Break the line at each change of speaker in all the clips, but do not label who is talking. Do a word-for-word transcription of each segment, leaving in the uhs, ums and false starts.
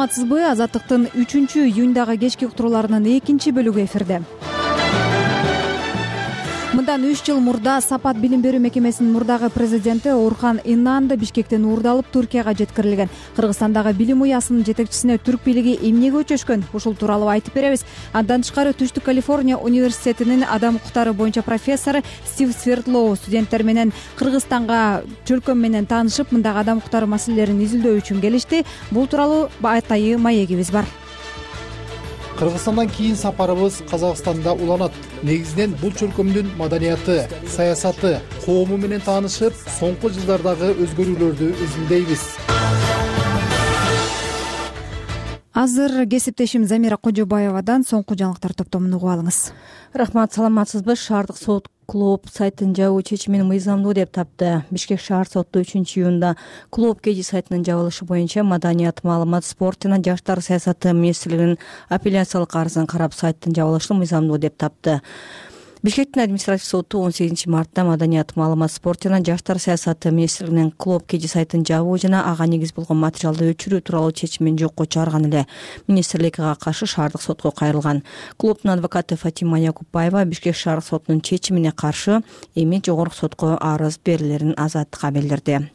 саламатсызбы? Азаттыктын үчүнчү июндагы кечки уктурууларынын экинчи бөлүгү эфирде. Мындан үч жыл мурда Сапат билим берүү мекемесинин мурдагы президенти Орхан Инанды Бишкектен уурдалып Түркияга жеткирилген. Кыргызстандагы билим уясынын жетекчисине түрк бийлиги эмнеге өчөшкөн? Ушул тууралуу айтып беребиз. Андан тышкары Түштүк Калифорния университетинин адам укуктары боюнча профессору Стив Свердлоу студенттер менен Кыргызстанга чөлкөм менен таанышып, мындагы адам укуктары маселелерин изилдөө үчүн келишти. Бул тууралуу атайы маегибиз бар.
Кыргызстандан кийин сапарыбыз Казакстанда уланат. Негизинен бул чөлкөмдүн маданияты, саясаты, коому менен таанышып, соңку жылдардагы өзгөрүүлөрдү изилдейбиз.
Азыр кесиптешим Замира Кожобаевадан соңку жаңылыктар топтомун угуп алыңыз.
Рахмат, саламатсызбы? Шаардык сот клуб сайтын жабуу чечимин мыйзамдуу деп тапты. Бишкек шаар соту үчүнчү июнда клуб кеji сайтынын жабылышы боюнча маданият, маалымат, спорт жана жаштар саясаты министрлигинин апелляциялык арызын карап сайттын жабылышын мыйзамдуу деп тапты. Бишкектин административ соту он сегизинчи мартта маданият, маалымат, спорт жана жаштар саясаты министрлигинин клуб кеji сайтын жабуу жана ага негиз болгон материалды өчүрүү тууралуу чечимин жокко чыгарган эле. Министрлик ага каршы шаардык сотко кайрылган. Клубдун адвокаты Фатима Якупбаева Бишкек шаар сотунун чечимине каршы эми жогорку сотко арыз берилерин Азаттыкка билдирди.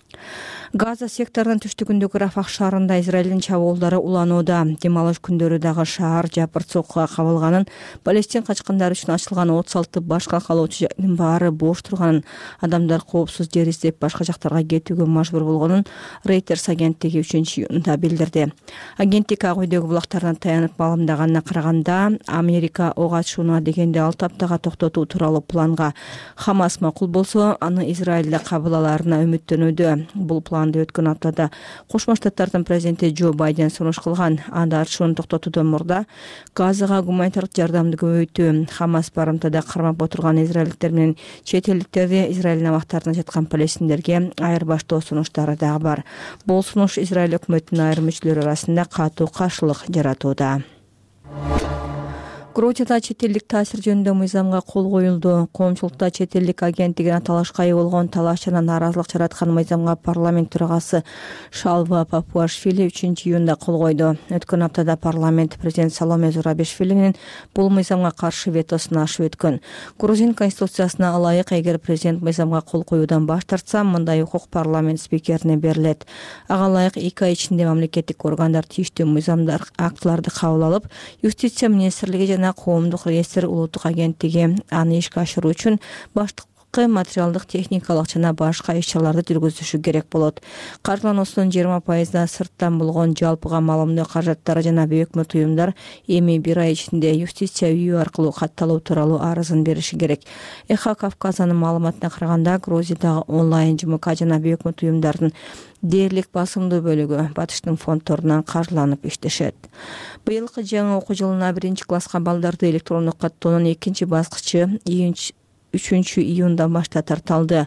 Газа секторунун түштүгүндөгү Рафах шаарында Израилдин чабуулдары уланууда. Дем алыш күндөрү дагы шаар жапырт сокуга кабылганын, Палестин качкындары үчүн ачылган отуз алты башка калоочу жайдын баары бош турганын, адамдар коопсуз жер издеп башка жактарга кетүүгө мажбур болгонун Reuters агенттиги үчүнчү июнда билдирди. Агенттик ак үйдөгү булактарына таянып маалымдаганына караганда, Америка ок атышууну дегенде алты аптага токтотуу тууралуу планга Хамас макул болсо, аны Израилде кабыл алаарына үмүттөнүүдө. Бул планды өткөн аптада Кошмо Штаттардын президенти Джо Байден сунуш кылган. Анда атышууну токтотуудон мурда Газага гуманитардык жардамды көбөйтүү, Хамас барымтада кармап отурган израилдиктер менен чет элдиктерди Израиль абактарында жаткан палестиндерге айырбаштоо сунуштары дагы бар. Бул сунуш Израиль өкмөтүнүн айрым мүчөлөрү арасында катуу каршылык жаратууда. Грузияда чет элдик таасир жөнүндө мыйзамга кол коюлду. Коомчулукта чет элдик агенттигине талашка ээ болгон талаш жана нааразылык жараткан мыйзамга парламент төрагасы Шалва Папуашвили үчүнчү июнда кол койду. Өткөн аптада парламент президент Саломе Зурабишвилинин бул мыйзамга каршы ветосун ашып өткөн. Грузин конституциясына ылайык, эгер президент мыйзамга кол коюудан баш тартса, мындай укук парламент спикерине берилет. Ага ылайык эки ай ичинде мамлекеттик органдар тийиштүү мыйзамдар, актыларды кабыл алып, юстиция министрлиги жана коомдук реестр улуттук агенттиги аны ишке ашыруу үчүн баштыкы материалдык, техникалык жана башка иш-чараларды жүргүзүшү керек болот. Каржылануусунун жыйырма пайызына сырттан болгон жалпыга маалымдоо каражаттары жана өкмөт уюмдар эми бир ай ичинде юстиция үйү аркылуу катталуу тууралуу арызын бериши керек. Эхо Кавказанын маалыматына караганда, Грузиядагы онлайн ЖМК жана өкмөт уюмдардын дээрлик басымдуу бөлүгү батыштын фонддорунан каржыланып иштешет. Быйылкы жаңы окуу жылына биринчи класска балдарды электрондук каттоонун экинчи баскычы үчүнчү июндан башта тарталды.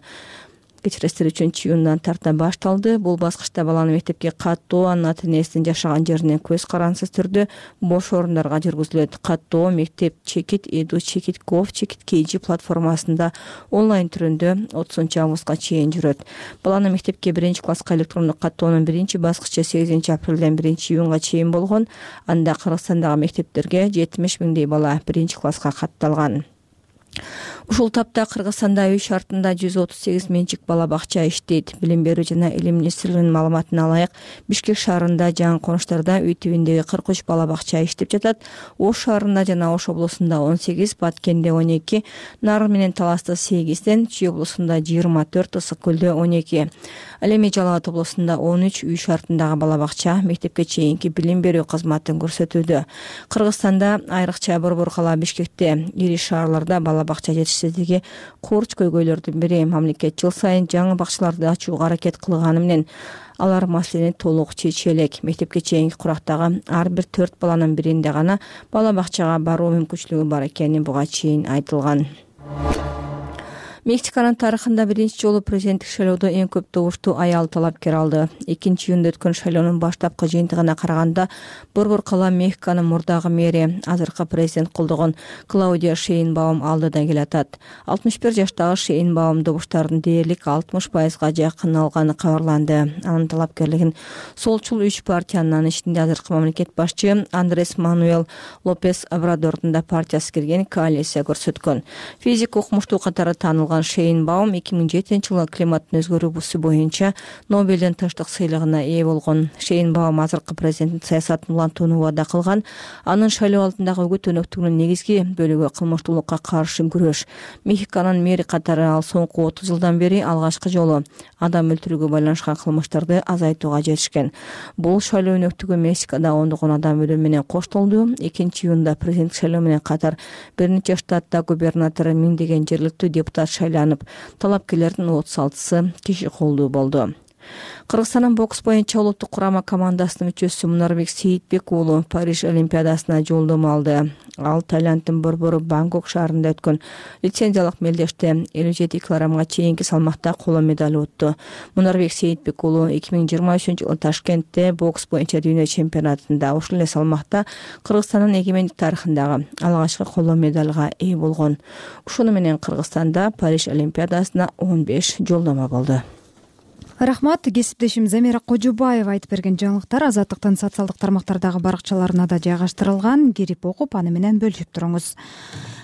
Кечиресиздер, үчүнчү июндан тарта башталды. Бул баскычта баланы мектепке каттоо анын ата-энесинин жашаган жеринен көз карансыз түрдө бош орундарга жүргүзүлөт. Каттоо мектеп чекит, эду чекит, гов чекит kg платформасында онлайн түрүндө отузунчу августка чейин жүрөт. Баланы мектепке биринчи класска электрондук каттоонун биринчи баскычы сегизинчи апрелден биринчи июнга чейин болгон. Анда Кыргызстандагы мектептерге жетимиш миңдей бала биринчи класска катталган. Ушул тапта Кыргызстанда үй шартында жүз отуз сегиз менчик бала бакча иштейт. Билим берүү жана илим министрлигинин маалыматына ылайык, Бишкек шаарында жаңы конуштарда үй тибиндеги кырк үч бала бакча иштеп жатат. Ош шаарында жана Ош облусунда он сегиз, Баткенде он эки, Нарын менен Таласта сегизден, Чүй облусунда жыйырма төрт, Ысык көлдө он эки. Ал эми Жалал Абад облусунда он үч үй шартындагы бала бакча мектепке чейинки билим берүү кызматын көрсөтүүдө. Кыргызстанда айрыкча Борбор кала, Бишкекте, ири шаарларда бала бакча жетишсиздиги курч көйгөйлөрдүн бири. Мамлекет жыл сайын жаңы бакчаларды ачууга аракет кылганы менен алар маселени толук чече элек. Мектепке чейинки курактагы ар бир төрт баланын биринде гана бала бакчага баруу мүмкүнчүлүгү бар экени буга чейин айтылган. Мексиканын тарыхында биринчи жолу президенттик шайлоодо эң көп добушту аял талапкер алды. экинчи июнда өткөн шайлоонун баштапкы жыйынтыгына караганда борбор кала Мехиканын мурдагы мэри, азыркы президент колдогон Клаудия Шейнбаум алдыда келатат. алтымыш бир жаштагы Шейнбаум добуштардын дээрлик алтымыш пайызга жакын алганы кабарланды. Анын талапкерлигин солчул үч партиянын ичинде азыркы мамлекет башчы Андрес Мануэл Лопес Обрадордун да партиясы кирген коалиция көрсөткөн. Физик окумуштуу катары таанылган Шейнбаум эки миң жетинчи жылы климаттын өзгөрүүсү боюнча Нобелдин тынчтык сыйлыгына ээ болгон. Шейнбаум азыркы президенттин саясатын улантууну убада кылган. Анын шайлоо алдындагы үгүт өнөктүгүнүн негизги бөлүгү кылмыштуулукка каршы күрөш. Мехиканын мэри катары ал соңку отуз жылдан бери алгачкы жолу адам өлтүрүүгө байланышкан кылмыштарды азайтууга жетишкен. Бул шайлоо өнөктүгү Мексикада ондогон адам өлүмү менен коштолду. экинчи июнда президенттик шайлоо менен катар бир нече штатта губернатор, миңдеген жергиликтүү депутат шайланып, талапкерлердин отуз алтысы киши колдуу болду. Кыргызстандын бокс боюнча улуттук курама командасынын мүчөсү Мунарбек Сейитбек уулу Париж олимпиадасына жолдомо алды. Ал Таиланддын борбору Бангкок шаарында өткөн лицензиялык мелдеште элүү жети килограммга чейинки салмакта коло медаль утту. Мунарбек Сейитбек уулу эки миң жыйырма үчүнчү жылы Ташкентте бокс боюнча дүйнө чемпионатында ушул эле салмакта Кыргызстандын эгемендик тарыхындагы алгачкы коло медальга ээ болгон. Ушуну менен Кыргызстанда Париж олимпиадасына он беш жолдомо болду.
Рахмат. Кесиптешим Замира Кожубаева айтып берген жаңылыктар Азаттыктын социалдык тармактардагы баракчаларына да жайгаштырылган. Кирип окуп, аны менен бөлүшүп туруңуз.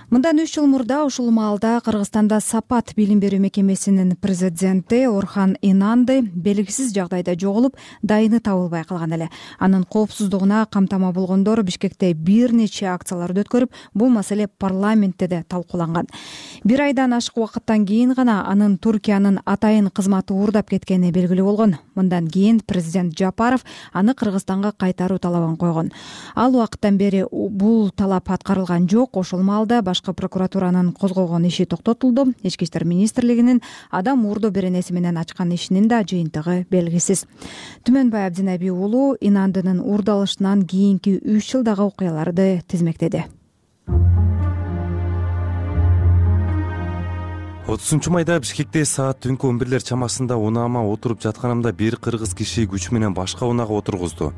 Мындан үч жыл мурда ушул маалда Кыргызстанда Сапат билим берүү мекемесинин президенти Орхан Инанды белгисиз жагдайда жоголуп, дайыны табылбай калган эле. Анын коопсуздугуна камтама болгондор Бишкекте бир нече акцияларды өткөрүп, бул маселе парламентте да талкууланган. Бир айдан ашык убакыттан кийин гана анын Туркиянын атайын кызматы уурдап кеткени белгилүү болгон. Мындан кийин президент Жапаров аны Кыргызстанга кайтаруу талабын койгон. Ал убакыттан бери бул талап аткарылган жок. Ошол маалда башкы прокуратуранын козгогон иши токтотулду. Ички иштер министрлигинин адам уурдоо беренеси менен ачкан ишинин да жыйынтыгы белгисиз. Түмөнбай Абдинаби уулу Инандынын уурдалышынан кийинки үч жылдагы окуяларды тизмектеди.
отузунчу майда Бишкекте саат түнкү он бирлер чамасында унаама отуруп жатканымда бир кыргыз киши күч менен башка унаага отургузду.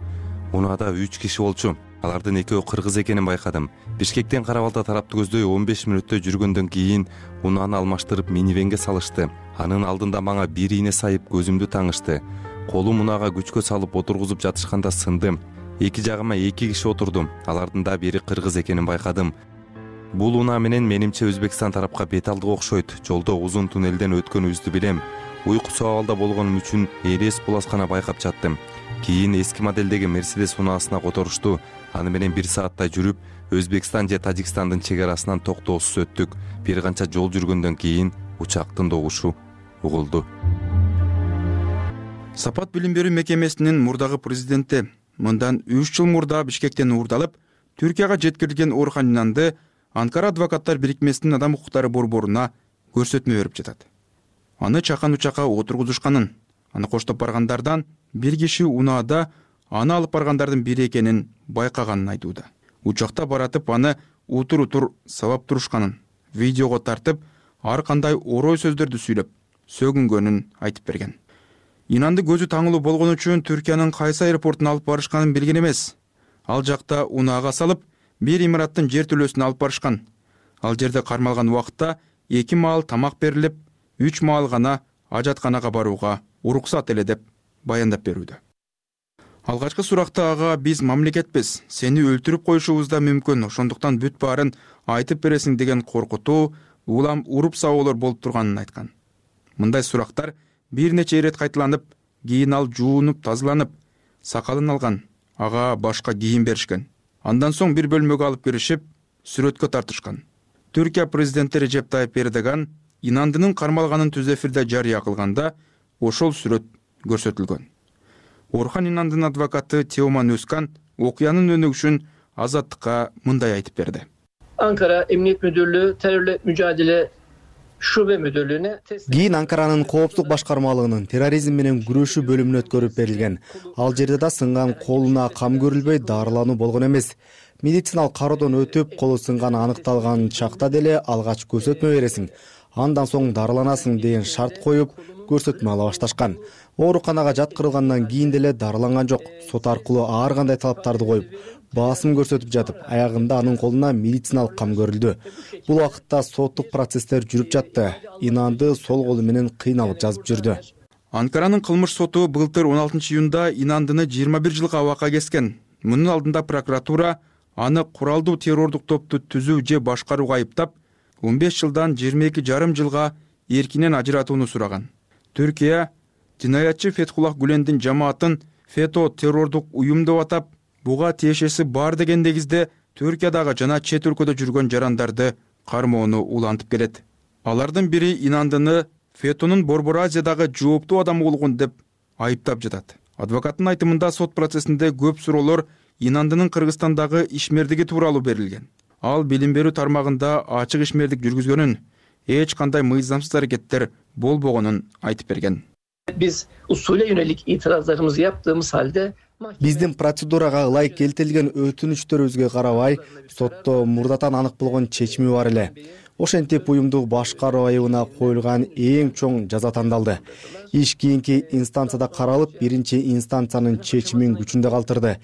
Унаада үч киши болчу. Алардын экөө кыргыз экенин байкадым. Бишкектен Карабалда тарапты көздөй он беш мүнөттө жүргөндөн кийин унааны алмаштырып минивенге салышты. Анын алдында мага бир ийне сайып көзүмдү таңышты. Колум унаага күчкө салып отургузуп жатышканда сындым. Эки жагыма эки киши отурду. Алардын да бири кыргыз экенин байкадым. Бул унаа менен менимче Өзбекстан тарапка бет алдык окшойт. Жолдо узун туннелден өткөнүбүздү билем. Уйкусу абалда болгонум үчүн эрес булас гана байкап жаттым. Кийин эски моделдеги Мерседес унаасына которушту. Аны менен бир сааттай жүрүп, Өзбекстан же Тажикстандын чек арасынан токтоосуз өттүк. Бир канча жол жүргөндөн кийин учактын добушу угулду.
Сапат билим берүү мекемесинин мурдагы президенти мындан үч жыл мурда Бишкектен уурдалып, Түркияга жеткирилген Орхан Инанды Анкара адвокаттар бирикмесинин адам укуктары борборуна көрсөтмө берип жатат. Аны чакан учакка отургузушканын, аны коштоп баргандардан бир киши унаада аны алып баргандардын бири экенин байкаганын айтууда. Учакта баратып аны утур-утур сабап турушканын, видеого тартып, ар кандай орой сөздөрдү сүйлөп, сөгүнгөнүн айтып берген. Инанды көзү таңылуу болгон үчүн Түркиянын кайсы аэропортуна алып барышканын билген эмес. Ал жакта унаага салып, бир имараттын жер төлөөсүнө алып барышкан. Ал жерде кармалган убакытта эки маал тамак берилип, үч маал гана ажатканага барууга уруксат эле деп баяндап берүүдө. Алгачкы суракта ага биз мамлекетпиз, сени өлтүрүп коюшубуз да мүмкүн, ошондуктан бүт баарын айтып бересиң деген коркутуу, улам уруп сабоолор болуп турганын айткан. Мындай сурактар бир нече ирет кайталанып, кийин ал жуунуп, тазаланып, сакалын алган, ага башка кийим беришкен. Андан соң бир бөлмөгө алып киришип, сүрөткө тартышкан. Түркия президенти Режеп Тайып Эрдоган Инандынын кармалганын түз эфирде жарыя кылганда ошол сүрөт көрсөтүлгөн. Орхан Инандынын адвокаты Теоман Өзкан окуянын өнүгүшүн Азаттыкка мындай айтып берди.
Ankara Emniyet Müdürlüğü Terörle Mücadele Şube Müdürlüğü'ne
Кийин Анкаранын коопсуздук башкармалыгынын терроризм менен күрөшүү бөлүмүнө өткөрүп берилген. Ал жерде да сынган колуна кам көрүлбөй дарылануу болгон эмес. Медициналык кароодон өтүп, колу сынганы аныкталган чакта деле алгач көрсөтмө бересиң. андан соң дарыланасың деген шарт коюп көрсөтмө ала башташкан. Ооруканага жаткырылгандан кийин деле дарыланган жок. Сот аркылуу ар кандай талаптарды коюп, басым көрсөтүп жатып, аягында анын колуна медициналык кам көрүлдү. Бул убакытта соттук процесстер жүрүп жатты. Инанды сол колу менен кыйналып жазып жүрдү.
Анкаранын кылмыш соту былтыр он алтынчы июнда Инандыны жыйырма бир жылга абакка кескен. Мунун алдында прокуратура аны куралдуу террордук топту түзүү же башкарууга айыптап, он беш жылдан жыйырма эки жарым жылга эркинен ажыратууну сураган. Түркия жинаятчы Фетхуллах Гүлендин жамаатын ФЕТО террордук уюм деп атап, буга тиешеси бар деген негизде Түркиядагы жана чет өлкөдө жүргөн жарандарды кармоону улантып келет. Алардын бири Инандыны ФЕТОнун Борбор Азиядагы жооптуу адамы болгон деп айыптап жатат. Адвокаттын айтымында сот процессинде көп суроолор Инандынын Кыргызстандагы ишмердиги тууралуу берилген. Ал билим берүү тармагында ачык ишмердик жүргүзгөнүн, эч кандай мыйзамсыз аракеттер болбогонун айтып берген.
Biz usule yönelik itirazlarımızı yaptığımız halde
Биздин процедурага ылайык келтирилген өтүнүчтөрүбүзгө карабай, сотто мурдатан анык болгон чечими бар эле. Ошентип уюмду башкаруу айыбына коюлган эң чоң жаза тандалды. Иш кийинки инстанцияда каралып, биринчи инстанциянын чечимин күчүндө калтырды.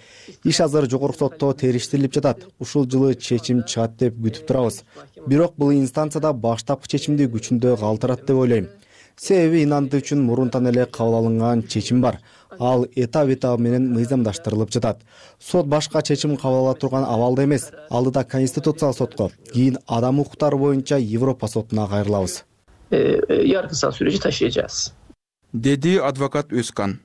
Иш азыр жогорку сотто териштирилип жатат. Ушул жылы чечим чыгат деп күтүп турабыз. Бирок бул инстанцияда баштапкы чечимди күчүндө калтырат деп ойлойм. Себеби Инанды үчүн мурунтан эле кабыл алынган чечим бар. Ал этап-этап менен мыйзамдаштырылып жатат. Сот башка чечим кабыл ала турган абалда эмес. Алдыда Конституциялык сотко, кийин адам укуктары боюнча Европа сотуна кайрылабыз.
Yargısal süreci taşıyacağız.
Dedi advokat Özkan.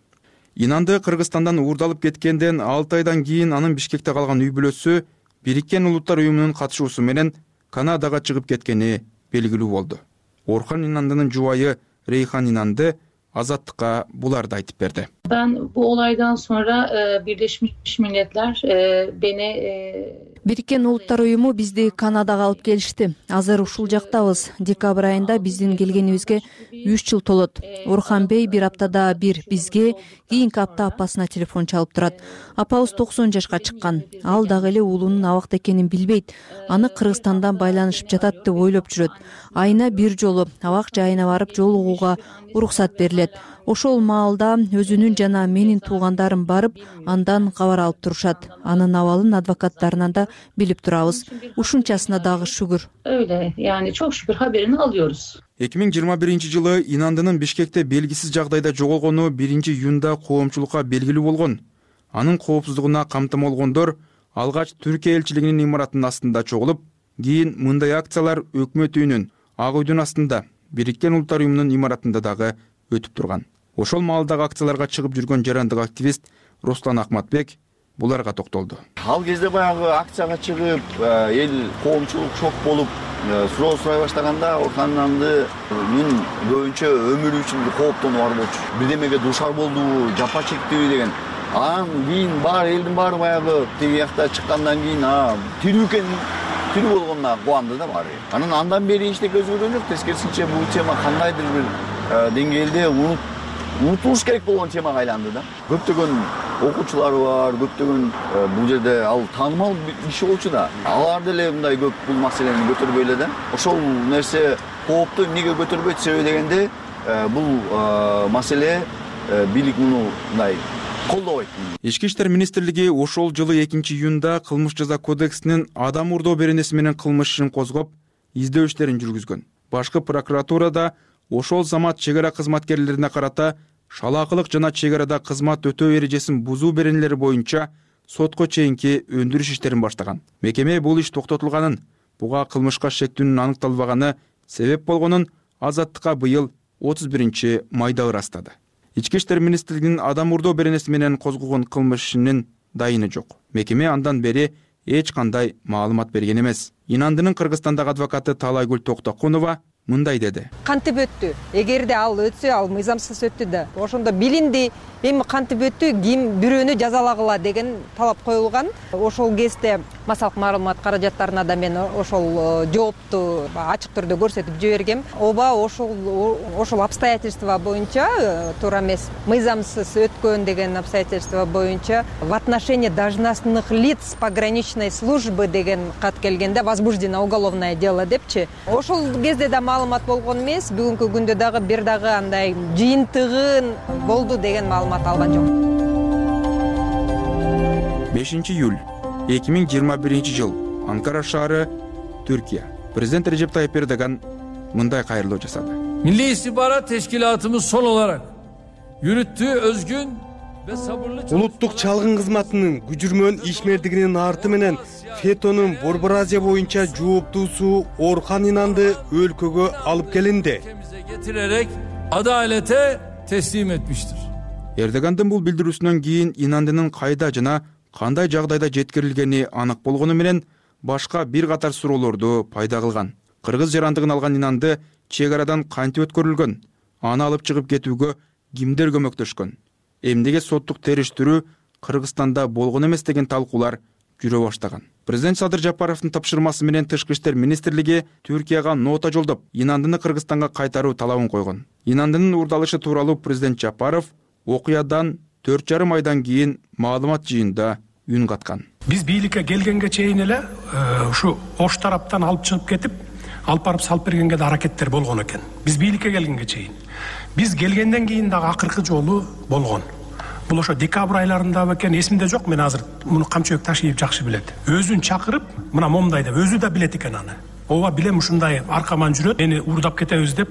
Инанды Кыргызстандан уурдалып кеткенден алты айдан кийин анын Бишкекте калган үй бүлөсү Бириккен Улуттар уюмунун катышуусу менен Канадага чыгып кеткени белгилүү болду. Орхан Инандынын жубайы Рейхан Инанды Azatlık'a буларды айтып берди.
Ben bu olaydan sonra e, Birleşmiş Milletler e, beni e,
Бириккен Улуттар уюму бизди Канадага алып келишти. Азыр ушул жактабыз. Декабрь айында биздин келгенибизге үч жыл толот. Орхан Бей бир аптада бир бизге, кийинки апта апасына телефон чалып турат. Апабыз токсон жашка чыккан. Ал дагы эле уулунун абакта экенин билбейт. Аны Кыргызстандан байланышып жатат деп ойлоп жүрөт. Айына бир жолу абак жайына барып жолугууга уруксат берилет. Ошол маалда өзүнүн жана менин туугандарым барып, андан кабар алып турушат. Анын абалын адвокаттарынан да билип турабыз. Ушунчасына дагы шүгүр.
Öyle yani çok şükür haberini alıyoruz.
эки миң жыйырма биринчи жылы Инандынын Бишкекте белгисиз жагдайда жоголгону биринчи июнда коомчулукка белгилүү болгон. Анын коопсуздугуна камтамалгондор алгач Түркия элчилигинин имаратынын астында чогулуп, кийин мындай акциялар өкмөт үйүнүн, Ак үйдүн астында, Бириккен Улуттар уюмунун имаратында дагы өтүп турган. Ошол маалдагы акцияларга чыгып жүргөн жарандык активист Руслан Акматбек буларга токтолду.
Ал кезде баягы акцияга чыгып, эл коомчулук шок болуп, суроо сурай баштаганда Орхан Инандынын көбүнчө өмүрү үчүн кооптонуу бар болчу. Бирдемеге душар болду, жапа чектиби деген. Анан кийин бар элдин баары баягы тиги жакта чыккандан кийин тирүү экен, тирүү болгонуна кубанды да баары. Анан андан бери эчтеке өзгөргөн жок. Тескерисинче бул тема кандайдыр бир деңгээлде унутулуш керек болгон темага айланды да. Көптөгөн окуучулары бар, көптөгөн бул жерде ал таанымал киши болчу да. Алар деле мындай көп бул маселени көтөрбөй эле да. Ошол нерсе коопту эмнеге көтөрбөйт себеби дегенде бул маселе бийлик муну мындай колдобойт.
Ички иштер министрлиги ошол жылы экинчи июнда кылмыш жаза кодексинин адам урдоо беренеси менен кылмыш ишин козгоп, издөө иштерин жүргүзгөн. Башкы прокуратурада ошол замат чек ара кызматкерлерине карата шалаакылык жана чек арада кызмат өтөө эрежесин бузуу беренелери боюнча сотко чейинки өндүрүш иштерин баштаган. Мекеме бул иш токтотулганын, буга кылмышка шектүүнүн аныкталбаганы себеп болгонун Азаттыкка быйыл отуз биринчи майда ырастады. Ички иштер министрлигинин адам урдоо беренеси менен козгогон кылмыш ишинин дайыны жок. Мекеме андан бери эч кандай маалымат берген эмес. Инандынын Кыргызстандагы адвокаты Талайгүл Токтокунова мындай деди.
Кантип өттү? Эгерде ал өтсө, ал мыйзамсыз өттү да. Ошондо билинди, эми кантип өттү, ким бирөөнү жазалагыла деген талап коюлган. Ошол кезде массалык маалымат каражаттарына да мен ошол жоопту ачык түрдө көрсөтүп жибергем. Оба ошол ошол обстоятельства боюнча туура эмес, мыйзамсыз өткөн деген обстоятельства боюнча в отношении должностных лиц пограничной службы деген кат келгенде возбуждено уголовное дело депчи. Ошол кезде да маалымат болгон эмес, бүгүнкү күндө дагы бир дагы андай жыйынтыгын болду деген маалымат алган жок.
бешинчи июль эки миң жыйырма биринчи жыл, Анкара шаары, Türkiye. Президент Recep Tayyip Erdogan мындай кайрылуу жасады.
Milli İstihbarat Teşkilatımız son olarak yürüttüğü özgün ve sabırlı
Улуттук чалгын кызматынын күчүрмөн ишмердигинин арты менен фетонун Борбор Азия боюнча жооптуусу Орхан Инанды өлкөгө алып келинди.
getirerek adalete teslim etmiştir.
Эрдогандын бул билдирүүсүнөн кийин Инандынын кайда жана кандай жагдайда жеткирилгени анык болгону менен башка бир катар суроолорду пайда кылган. Кыргыз жарандыгын алган Инанды чек арадан кантип өткөрүлгөн, аны алып чыгып кетүүгө кимдер көмөктөшкөн, эмнеге соттук териштирүү Кыргызстанда болгон эмес деген талкуулар жүрө баштаган. Президент Садыр Жапаровдун тапшырмасы менен Тышкы иштер министрлиги Түркияга нота жолдоп, Инандыны Кыргызстанга кайтаруу талабын койгон. Инандынын уурдалышы тууралуу президент Жапаров окуядан төрт жарым айдан кийин маалымат жыйында үн каткан.
Биз бийликке келгенге чейин эле ушу Ош тараптан алып чыгып кетип, алып барып салып бергенге да аракеттер болгон экен. Биз бийликке келгенге чейин. Биз келгенден кийин дагы акыркы жолу болгон. Бул ошо декабрь айларында экен, эсимде жок, мен азыр муну Камчыбек Ташиев жакшы билет. Өзүн чакырып, мына момундай деп, өзү да билет экен аны. Ооба билем, ушундай аркаман жүрөт, мени уурдап кетебиз деп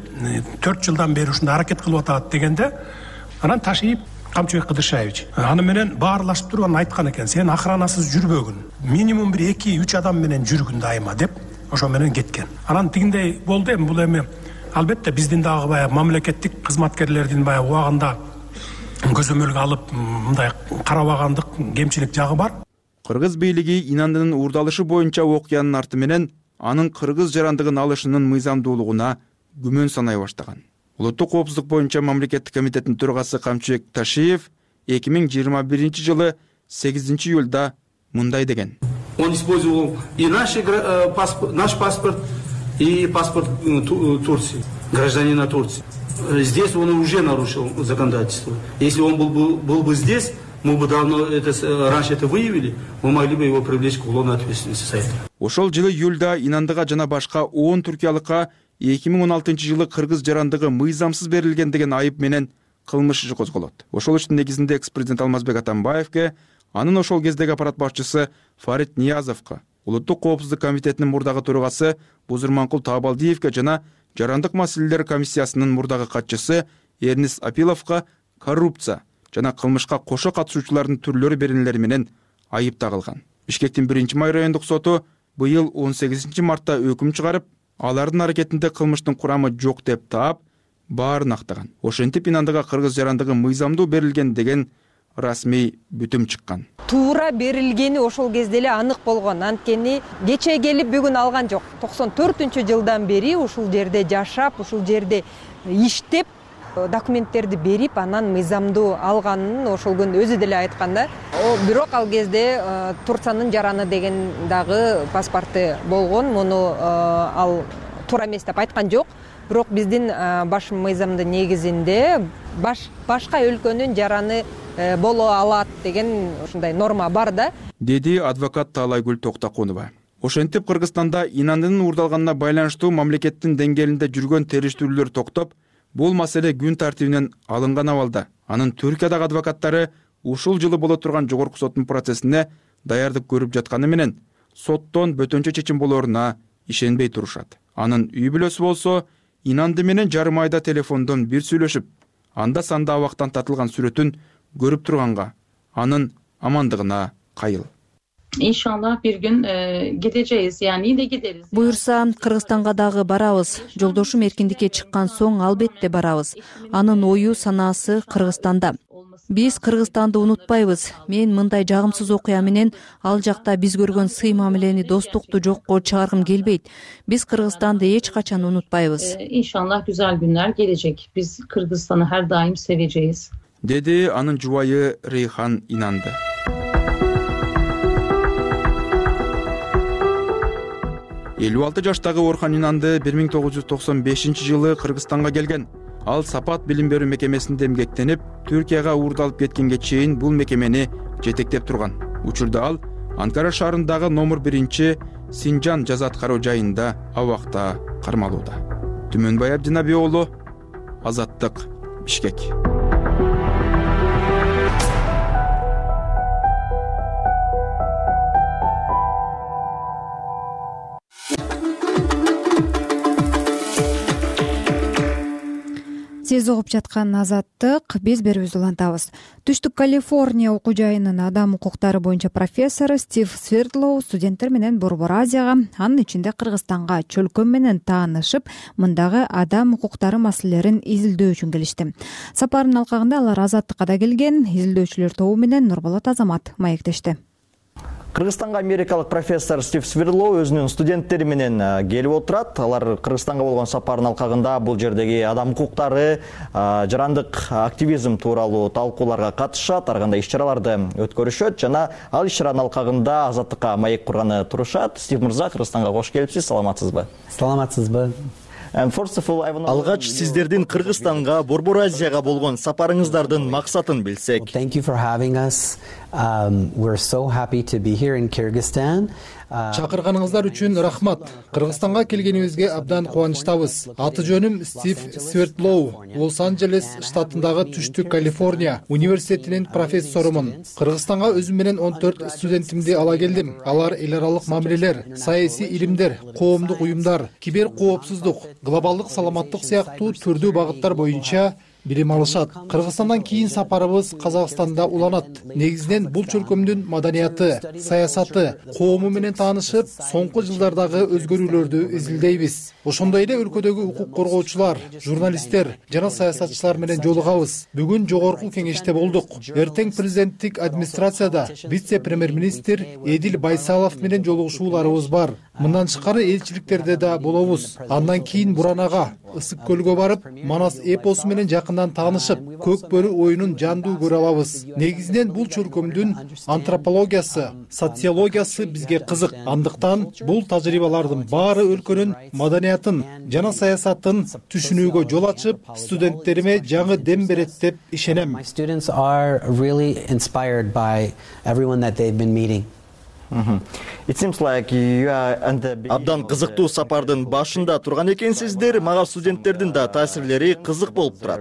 төрт жылдан бери ушундай аракет кылып атат дегенде, анан Ташиев Камчыбек Кыдыршаевич аны менен баарлашып туруп анан айткан экен, сен охранасыз жүрбөгүн, минимум бир эки үч адам менен жүргүн дайыма деп, ошо менен кеткен. Анан тигиндей болду эми, бул эми албетте биздин дагы баягы мамлекеттик кызматкерлердин баягы убагында көзөмөлгө алып мындай карабагандык, кемчилик жагы бар.
Кыргыз бийлиги Инандынын уурдалышы боюнча окуянын арты менен анын кыргыз жарандыгын алышынын мыйзамдуулугуна күмөн санай баштаган. Улуттук коопсуздук боюнча мамлекеттик комитеттин төрагасы Камчыбек Ташиев эки миң жыйырма биринчи жылы сегизинчи июлда мындай деген.
Он использовал и наш паспорт, и паспорт Турции, гражданина Турции. Здесь он уже нарушил законодательство. Если он был бы, был бы здесь, мы бы давно это, раньше это выявили, мы могли бы его привлечь к уголовной ответственности за это.
Ошол жылы июлда Инандыга жана башка он түркиялыкка эки миң он алтынчы жылы кыргыз жарандыгы мыйзамсыз берилген деген айып менен кылмыш иши козголот. Ошол иштин негизинде экс-президент Алмазбек Атамбаевке, анын ошол кездеги аппарат башчысы Фарид Ниязовго, Улуттук коопсуздук комитетинин мурдагы төрагасы Бузурманкул Таабалдиевке жана Жарандык маселелер комиссиясынын мурдагы катчысы Эрнис Апиловго коррупция жана кылмышка кошо катышуучулардын түрлөрү беренелери менен айып тагылган. Бишкектин биринчи май райондук соту быйыл он сегизинчи мартта өкүм чыгарып, алардын аракетинде кылмыштын курамы жок деп таап, баарын актаган. Ошентип Инандыга кыргыз жарандыгы мыйзамдуу берилген деген расмий бүтүм чыккан.
Туура берилгени ошол кезде эле анык болгон. Анткени кече келип бүгүн алган жок. токсон төртүнчү жылдан бери ушул жерде жашап, ушул жерде иштеп, документтерди берип, анан мыйзамдуу алганын ошол күн өзү деле айткан да. Бирок ал кезде Турциянын жараны деген дагы паспорты болгон. Муну ал туура эмес деп айткан жок. Бирок биздин баш мыйзамдын негизинде баш башка өлкөнүн жараны боло алат деген ушундай норма бар да,
деди адвокат Таалайгүл Токтокунова. Ошентип Кыргызстанда Инандынын уурдалганына байланыштуу мамлекеттин деңгээлинде жүргөн териштирүүлөр токтоп, бул маселе күн тартибинен алынган абалда. Анын Түркиядагы адвокаттары ушул жылы боло турган жогорку соттун процессине даярдык көрүп жатканы менен соттон бөтөнчө чечим болоруна ишенбей турушат. Анын үй бүлөсү болсо Инанды менен жарым айда телефондон бир сүйлөшүп, анда санда абактан татылган сүрөтүн көрүп турганга, анын амандыгына кайыл.
İnşallah bir gün e, gideceğiz, yani de gideriz.
Буюрса, Кыргызстанга дагы барабыз. Жолдошум эркиндикке чыккан соң албетте барабыз. Анын ою, санаасы Кыргызстанда. Биз Кыргызстанды унутпайбыз. Мен мындай жагымсыз окуя менен ал жакта биз көргөн сый мамилени, достукту жокко чыгаргым келбейт. Биз Кыргызстанды эч качан унутпайбыз.
İnşallah güzel günler gelecek. Biz Kırgızistan'ı her daim seveceğiz.
Деди анын жубайы Рейхан Инанды. элүү алты жаштагы Орхан Инанды бир миң тогуз жүз токсон бешинчи жылы Кыргызстанга келген. Ал Сапат билим берүү мекемесинде эмгектенип, Түркияга уурдалып кеткенге чейин бул мекемени жетектеп турган. Учурда ал Анкара шаарындагы номер биринчи Синжан жаза аткаруу жайында абакта кармалууда. Түмөнбай Абдинаби уулу, Азаттык, Бишкек.
Сиз угуп жаткан Азаттык, биз берүүбүздү улантабыз. Түштүк Калифорния окуу жайынын адам укуктары боюнча профессору Стив Свердлоу студенттер менен Борбор Азияга, анын ичинде Кыргызстанга чөлкөм менен таанышып, мындагы адам укуктары маселелерин изилдөө үчүн келишти. Сапардын алкагында алар Азаттыкка да келген. Изилдөөчүлөр тобу менен Нурболот Азамат маектешти.
Кыргызстанга америкалык профессор Стив Свердлоу өзүнүн студенттери менен келип отурат. Алар Кыргызстанга болгон сапардын алкагында бул жердеги адам укуктары, жарандык активизм тууралуу талкууларга катышат, ар кандай иш-чараларды өткөрүшөт жана ал иш-чаранын алкагында Азаттыкка маек курганы турушат. Стив мырза, Кыргызстанга кош келипсиз, саламатсызбы?
Саламатсызбы.
Алгач сиздердин Кыргызстанга, Борбор Азияга болгон сапарыңыздардын максатын билсек.
Thank you for having us. Um, we're so happy to be here in Kyrgyzstan.
Чакырганыңыздар үчүн рахмат. Кыргызстанга келгенибизге абдан кубанычтабыз. Аты жөнүм Стив Свердлоу. Лос-Анджелес штатындагы Түштүк Калифорния университетинин профессорумун. Кыргызстанга өзүм менен он төрт студентимди ала келдим. Алар эл аралык мамилелер, саясий илимдер, коомдук уюмдар, кибер коопсуздук, глобалдык саламаттык сыяктуу түрдүү багыттар боюнча билим алышат. Кыргызстандан кийин сапарыбыз Казакстанда уланат. Негизинен бул чөлкөмдүн маданияты, саясаты, коому менен таанышып, соңку жылдардагы өзгөрүүлөрдү изилдейбиз. Ошондой эле өлкөдөгү укук коргоочулар, журналисттер жана саясатчылар менен жолугабыз. Бүгүн жогорку кеңеште болдук. Эртең президенттик администрацияда вице-премьер-министр Эдил Байсалов менен жолугушууларыбыз бар. Мындан тышкары элчиликтерде да болобуз. Андан кийин Буранага, Ысык көлгө барып, Манас эпосу менен жакындан таанышып, Көк бөрү оюнун жандуу көрө алабыз. Негизинен бул чөлкөмдүн антропологиясы, социологиясы бизге кызык. Андыктан бул тажрыйбалардын баары өлкөнүн маданиятын жана саясатын түшүнүүгө жол ачып, студенттериме жаңы дем берет деп ишенем.
My students are really inspired by everyone that they've been meeting.
Абдан кызыктуу сапардын башында турган экенсиздер. Мага студенттердин да таасирлери кызык болуп турат.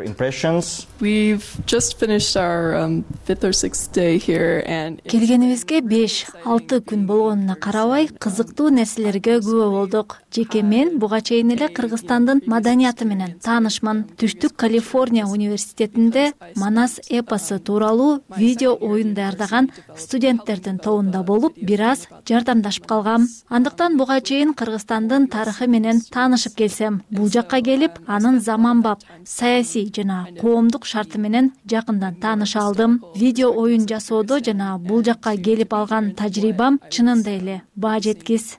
Келгенибизге беш алты күн болгонуна карабай, кызыктуу нерселерге күбө болдук. Жеке мен буга чейин эле Кыргызстандын маданияты менен таанышман. Түштүк Калифорния университетинде Манас эпосу тууралуу видео оюн даярдаган студенттердин тобунда болуп, бир аз жардамдашып калгам. Андыктан буга чейин Кыргызстандын тарыхы менен таанышып келсем, бул жакка келип, анын заманбап саясий жана коомдук шарты менен жакындан тааныша алдым. Видео оюн жасоодо жана бул жакка келип алган тажрыйбам чынында эле баа жеткис.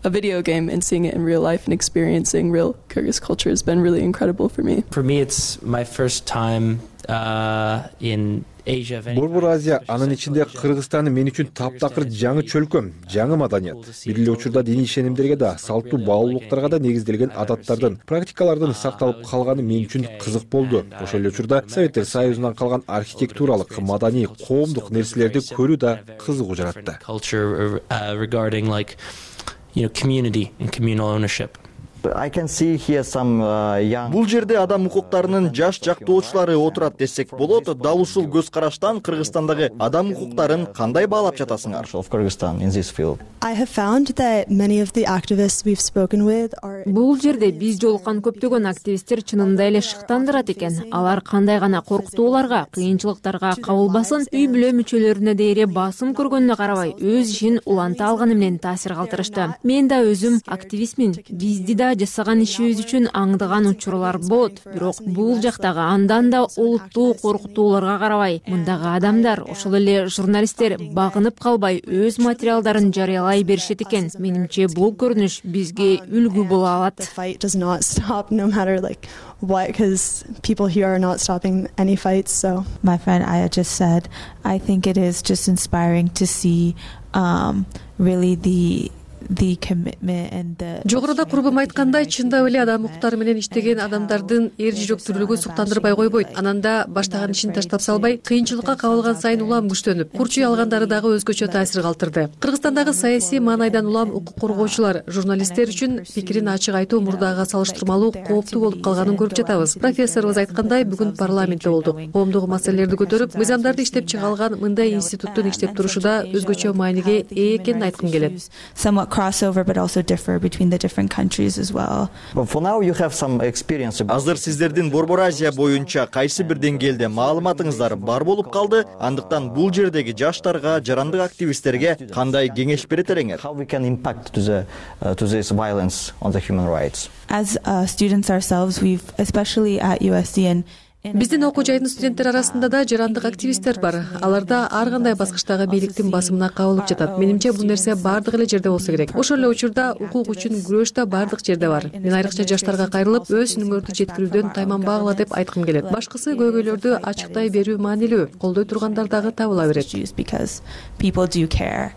A video game and seeing it in real life and experiencing real Kyrgyz culture has been really incredible for me.
For me, it's my first time uh, in
Борбор Азия, анын ичинде Кыргызстан мен үчүн таптакыр жаңы чөлкөм, жаңы маданият. Бир эле учурда диний ишенимдерге да, салттуу баалуулуктарга да негизделген адаттардын, практикалардын сакталып калганы мен үчүн кызык болду. Ошол эле учурда Советтер Союзунан калган архитектуралык, маданий, коомдук нерселерди көрүү да кызыгуу жаратты.
You know, community and communal ownership.
I can see here some young. Бул жерде адам укуктарынын жаш жактоочулары отурат десек болот. Дал ушул көз караштан Кыргызстандагы адам укуктарын кандай баалап жатасыңар? Of Kyrgyzstan in this field.
I have found that many of the activists we've spoken with are.
Бул жерде биз жолуккан көптөгөн активисттер чынында эле шыктандырат экен. Алар кандай гана коркутууларга, кыйынчылыктарга кабылбасын, үй бүлө мүчөлөрүнө дейре басым көргөнүнө карабай, өз ишин уланта алганы менен таасир калтырышты. Мен да өзүм активистмин. Бизди да жасаган ишибиз үчүн аңдыган учурлар болот. Бирок бул жактагы андан да олуттуу коркутууларга карабай, мындагы адамдар, ошол эле журналисттер багынып калбай өз материалдарын жарыялай беришет экен. Менимче бул көрүнүш бизге үлгү боло алат.
Why? Because people here are not stopping any fights. So
my friend Aya just said, I think it is just inspiring to see um, really the
the commitment and the
жогоруда курбум айткандай, чындап эле адам укуктары менен иштеген адамдардын эр жүрөктүүлүгү суктандырбай койбойт. Анан да баштаган ишин таштап салбай, кыйынчылыкка кабылган сайын улам күчтөнүп, курчуй алгандары дагы өзгөчө таасир калтырды. Кыргызстандагы саясий маанайдан улам укук коргоочулар, журналисттер үчүн пикирин ачык айтуу мурдага салыштырмалуу кооптуу болуп калганын көрүп жатабыз. Профессорубуз айткандай, бүгүн парламентте болдук. Коомдук маселелерди көтөрүп, мыйзамдарды иштеп чыга алган мындай институттун иштеп турушу да өзгөчө мааниге ээ экенин айткым келет.
Somewhat crossover but also differ between the different countries as well.
But for now you have some experience. Азыр сиздердин Борбор Азия боюнча кайсы бир деңгээлде маалыматыңыздар бар болуп калды? Андыктан бул жердеги жаштарга, жарандык активисттерге кандай кеңеш берет элеңер? How we can impact to the uh, to this violence on the human rights?
As uh, students ourselves, we've especially at U S C and
Биздин окуу жайдын студенттер арасында да жарандык активисттер бар. Алар да ар кандай баскычтагы бийликтин басымына кабылып жатат. Менимче бул нерсе бардык эле жерде болсо керек. Ошол эле учурда укук үчүн күрөш да бардык жерде бар. Мен айрыкча жаштарга кайрылып, өз үнүңөрдү жеткирүүдөн тайманбагыла деп айткым келет. Башкысы көйгөйлөрдү ачыктай берүү маанилүү. Колдой тургандар дагы табыла берет.
Because people do care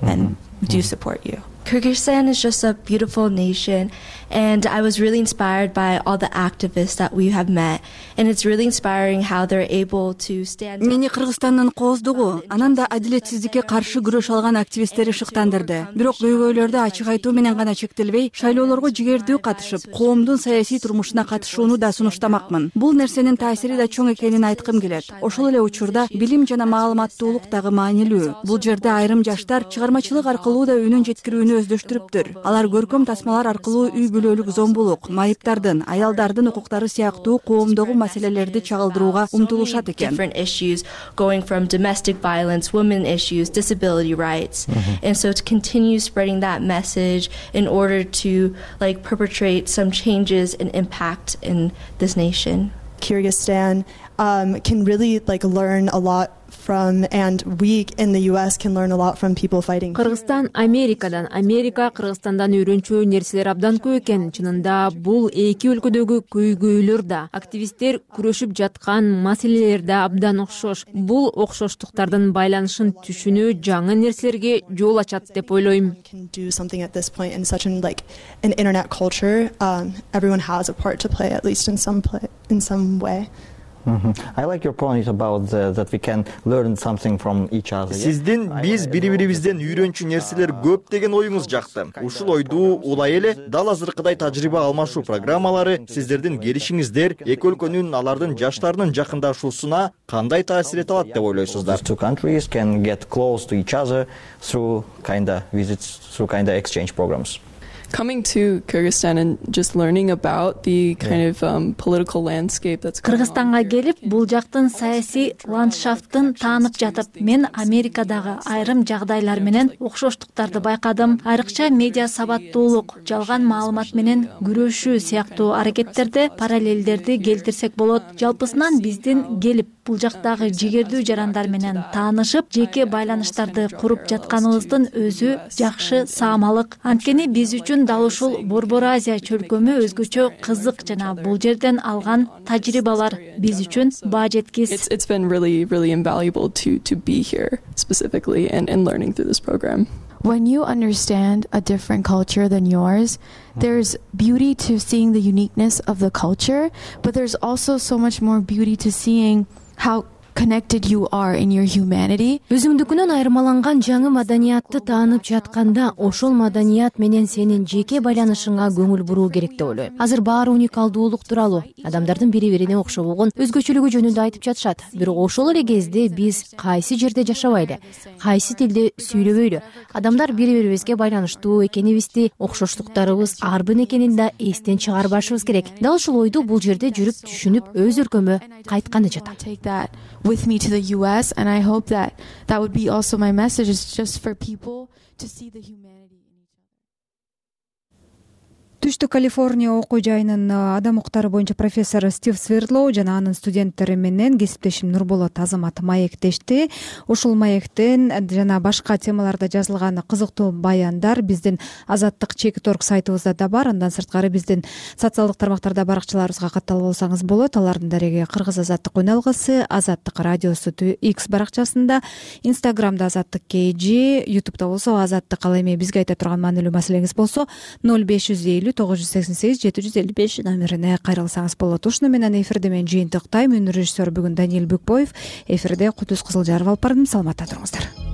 and do support you.
Kyrgyzstan is just a beautiful nation, and I was really inspired by all the activists that we have met, and it's really inspiring how they're able to stand.
Мени Кыргызстандын кооздугу, анан да адилетсиздикке каршы күрөш алган активисттери шыктандырды. Бирок көйгөйлөрдү ачык айтуу менен гана чектелбей, шайлоолорго жигердүү катышып, коомдун саясий турмушуна катышууну да сунуштамакмын. Бул нерсенин таасири да чоң экенин айткым келет. Ошол эле учурда билим жана маалыматтуулук дагы маанилүү. Бул жерде айрым жаштар чыгармачылык аркылуу да үнүн жеткирүүнү өздөштүрүптүр. Алар көркөм тасмалар аркылуу үй бүлөлүк зомбулук, майыптардын, аялдардын укуктары сыяктуу коомдогу маселелерди чагылдырууга умтулушат экен.
Different issues going from domestic violence, women issues, disability rights. Mm-hmm. And so to continue spreading that message in order to like perpetrate some changes and impact in this nation.
Kyrgyzstan um, can really like learn a lot from, and we in the U S can learn a lot from people fighting.
Кыргызстан Америкадан, Америка Кыргызстандан үйрөнчү нерселер абдан көп экен. Чынында бул эки өлкөдөгү көйгөйлөр да, активисттер күрөшүп жаткан маселелер да абдан окшош. Бул окшоштуктардын байланышын түшүнүү жаңы нерселерге жол ачат деп ойлойм.
Can do something at this point in such an like an internet culture. Um, everyone has a part to play, at least in some play, in some way.
Mm-hmm. I like your point about the, that we can learn something from each other. Сиздин биз бири-бирибизден үйрөнчү нерселер көп деген оюңуз жакты. Ушул ойду улай эле дал азыркыдай тажрыйба алмашуу программалары сиздердин келишиңиздер эки өлкөнүн алардын жаштарынын жакындашуусуна кандай таасир эте алат деп ойлойсуздар? Two countries can get close to each other through kinda visits, through kinda exchange programs.
Coming to Kyrgyzstan and just learning about the kind of um, political landscape that's going on.
Кыргызстанга келип, бул жактын саясий ландшафтын таанып жатып, мен Америкадагы айрым жагдайлар менен окшоштуктарды байкадым. Айрыкча медиа сабаттуулук, жалган маалымат менен күрөшүү сыяктуу аракеттерди, параллелдерди келтирсек болот. Жалпысынан биздин келип бул жактагы жигердүү жарандар менен таанышып, жеке байланыштарды куруп жатканыбыздын өзү жакшы саамалык. Анткени биз үчүн дал ушул Борбор Азия чөлкөмү өзгөчө кызык жана бул жерден алган тажрыйбалар биз үчүн баа жеткис.
It's it's been really really invaluable to to be here specifically and and learning through this program.
When you understand a different culture than yours, there's beauty to seeing the uniqueness of the culture, but there's also so much more beauty to seeing how connected you are in your humanity.
Өзүңдүкүнөн айырмаланган жаңы маданиятты таанып жатканда, ошол маданият менен сенин жеке байланышыңа көңүл буруу керек деп ойлойм. Азыр баары уникалдуулук тууралуу, адамдардын бири-бирине окшобогон өзгөчөлүгү жөнүндө айтып жатышат. Бирок ошол эле кезде биз кайсы жерде жашабайлы, кайсы тилде сүйлөбөйлү, адамдар бири-бирибизге байланыштуу экенибизди, окшоштуктарыбыз ар бир экенин да эстен чыгарбашыбыз керек. Дал ушул ойду бул жерде жүрүп түшүнүп, өз өлкөмө кайтканы жатам.
With me to the U S, and I hope that that would be also my message, is just for people to see the humanity in each other.
түштүк Калифорния окуу жайынын адам укуктары боюнча профессору Стив Свердлоу жана анын студенттери менен кесиптешим Нурболот Азамат маектешти. Ушул маектен жана башка темаларда жазылган кызыктуу баяндар биздин Азаттык чекит точка орг сайтыбызда да бар. Андан сырткары биздин социалдык тармактарда баракчаларыбызга катталып алсаңыз болот. Алардын дареги Кыргыз Азаттык үн алгысы, Азаттык радиосу X баракчасында, Инстаграмда Азаттык кей жи, Ютубта болсо Азаттык. Ал эми бизге айта турган маанилүү маселеңиз болсо ноль беш жүз элүү тогуз жүз сексен сегиз жети жүз элүү беш номерине кайрылсаңыз болот. Ушуну менен эфирде мен жыйынтыктайм. Үнү режиссер бүгүн Даниил Бүкбоев. Эфирде Кудус Кызылжаров алып бардым. Саламатта туруңуздар.